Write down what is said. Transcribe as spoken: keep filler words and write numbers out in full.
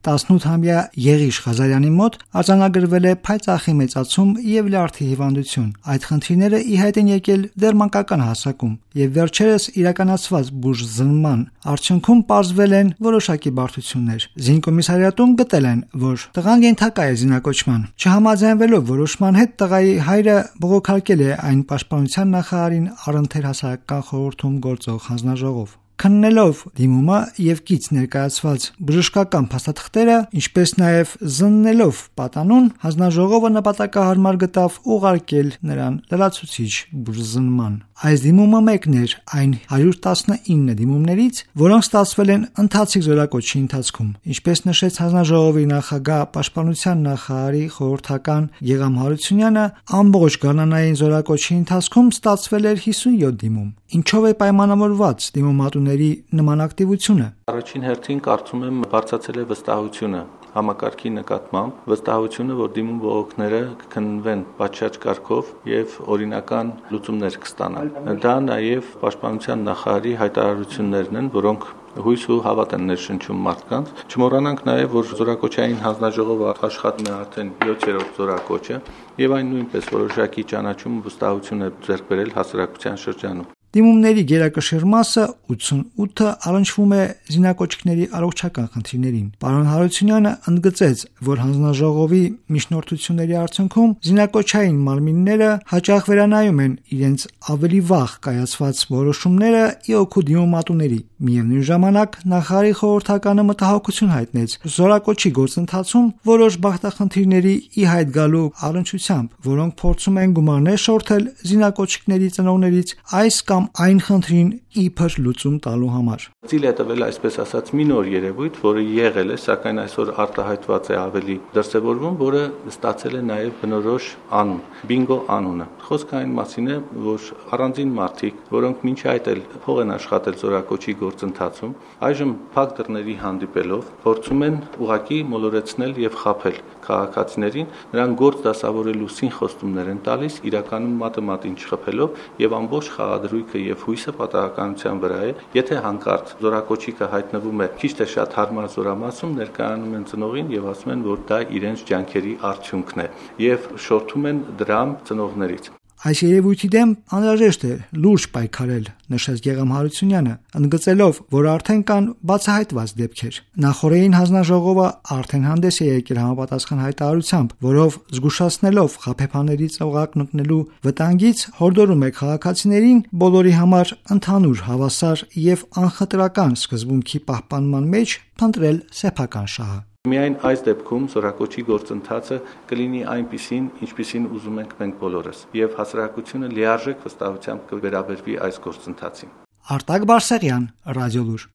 տասնութամյա Եղիշ Ղազարյանի մոտ արձանագրվել է փայծաղի մեծացում եւ լյարդի հիվանդություն։ Այդ խնդիրները ի հայտ են եկել դեռ մանկական հասակում եւ վերջերս իրականացված բուժզնման արդյունքում պարզվել են որոշակի բարդություններ։ Զինկոմիսարիատում գտել են, որ տղան ենթակա է զինակոչման։ Չհամաձայնվելով որոշման հետ տղայի հայրը բողոքարկել է այն պաշտպանության նախարարին առընթեր հասարակական խորհրդում գործող հանձնաժողով։ Քննելով դիմումը եւ կից ներկայացված բժշկական փաստաթղթերը, ինչպես նաեւ զննելով պատանուն, հանձնաժողովը նպատակահարմար գտավ ուղարկել նրան լրացուցիչ բուժզնման։ Այս դիմումը մեկն էր այն հարյուր տասնինը դիմումներից, որոնք ստացվել են ընթացիկ զորակոչի ընթացքում։ Ինչպես նշեց հանձնաժողովի նախագահ պաշտպանության նախարարի խորհրդական Գեգամ Հարությունյանը, ամբողջ գարնանային զորակոչի ընթացքում ստացվել էր հիսունյոթ դիմում։ Ինչով է պայմանավորված դիմումատուների նման ակտիվությունը։ Առաջին հերթին կարծում եմ բարձրացել է վստահությունը համակարգի նկատմամբ, վստահությունը, որ դիմում բողոքները կքննվեն պատշաճ կարգով եւ օրինական լուծումներ կստանան։ Դա նաեւ պաշտպանության նախարարի հայտարարություններն են, որոնք հույս ու հավատ են ներշնչում մարդկանց։ Չմոռանանք նաեւ, որ զորակոչային հանձնաժողովը աշխատում է արդեն յոթերորդ զորակոչը եւ այն նույնպես որոշակի ճանաչում ու վստահություն է ձեռք բերել հասարակության շրջանում։ Դիմումների գերակշիռ մասը ութսունութը առնչվում է զինակոչիկների առողջական խնդիրներին։ Պարոն Հարությունյանը ընդգծեց, որ հանձնաժողովի միջնորդությունների արդյունքում զինակոչային մարմինները հաճախ վերանայում են իրենց ավելի վաղ կայացված որոշումները ի օգուտ դիմումատուների։ Միևնույն ժամանակ նախարարի խորհրդականը մտահոգություն հայտնեց զորակոչի գործընթացում որոշ բախտախնդիրների ի հայտ գալու առնչությամբ, որոնք փորձում են գումարներ շորթել զինակոչիկների ծնողներից այս կամ այն խնդրին իբր լուծում տալու համար։ Ծիլ է տվել այսպես ասած մի նոր երևույթ, որը եղել է, սակայն այսօր արտահայտված է ավելի դրսևորվում, որը ստացել է նաև բնորոշ անուն՝ բինգո անունը։ Խոսքը այն մասին է, որ առանձին մարդիկ, որոնք մինչ այդ էլ փող են աշխատել զորակոչի գործընթացում, այժմ փակ դռների հանդիպելով փորձում են ուղակի մոլորեցնել եւ խաբել քաղաքացիներին, նրանք գործ դասավորելու սինխոստումներ են տալիս, իրականում մատը մատին չխփելով եւ ամբողջ խաղադրույքը եւ հույսը պատահականության վրա է։ Եթե հանկարծ զորակոչիկը հայտնվում է քիչ թե շատ հարմար զորամասում, ներկայանում են ծնողին եւ ասում են, որ դա իրենց ջանքերի արդյունքն է եւ շորթում են դրամ ծնողներից։ Այս երևույթի դեմ անհրաժեշտ է լուրջ պայքարել, նշեց Գեգամ Հարությունյանը, ընդգծելով, որ արդեն կան բացահայտված դեպքեր։ Նախորդին հանձնաժողովը արդեն հանդես է եկել համապատասխան հայտարարությամբ, որով զգուշացնելով խաբեբաներից օղակ մտնելու վտանգից հորդորում է քաղաքացիներին բոլորի համար ընդհանուր հավասար եւ անխտրական սկզբունքի պահպանման մեջ փնտրել սեփական շահը։ Միայն այս դեպքում զորակոչի գործընթացը կլինի այնպիսին, ինչպիսին ուզում ենք մենք բոլորս, եւ հասարակությունը լիարժեք վստահությամբ կվերաբերվի այս գործընթացին։ Արտակ Բարսեղյան, Ռադիոլուր։